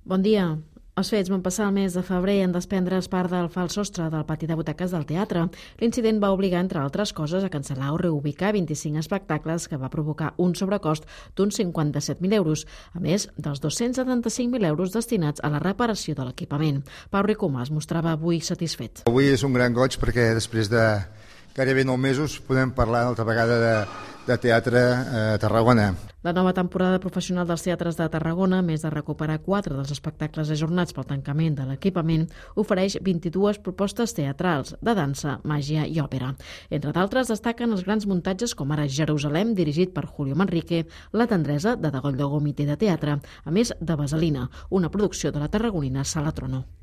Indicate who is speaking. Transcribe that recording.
Speaker 1: Bon dia. Els fets van passar el mes de febrer en desprendre's part del fals sostre del pati de butaques del teatre. L'incident va obligar, entre altres coses, a cancel·lar o reubicar 25 espectacles, que va provocar un sobrecost d'uns 57.000 euros, a més dels 275.000 euros destinats a la reparació de l'equipament. Pau Ricomà es mostrava avui satisfet.
Speaker 2: Avui és un gran goig perquè després de gairebé 9 mesos podem parlar altra vegada de teatre a Tarragona.
Speaker 1: La nova temporada professional dels teatres de Tarragona, a més de recuperar 4 dels espectacles ajornats pel tancament de l'equipament, ofereix 22 propostes teatrals, de dansa, màgia i òpera. Entre d'altres, destaquen els grans muntatges com ara Jerusalem, dirigit per Julio Manrique, La tendresa, de Degoll de Gomité de Teatre, a més de Vaselina, una producció de la tarragonina Sala Trono.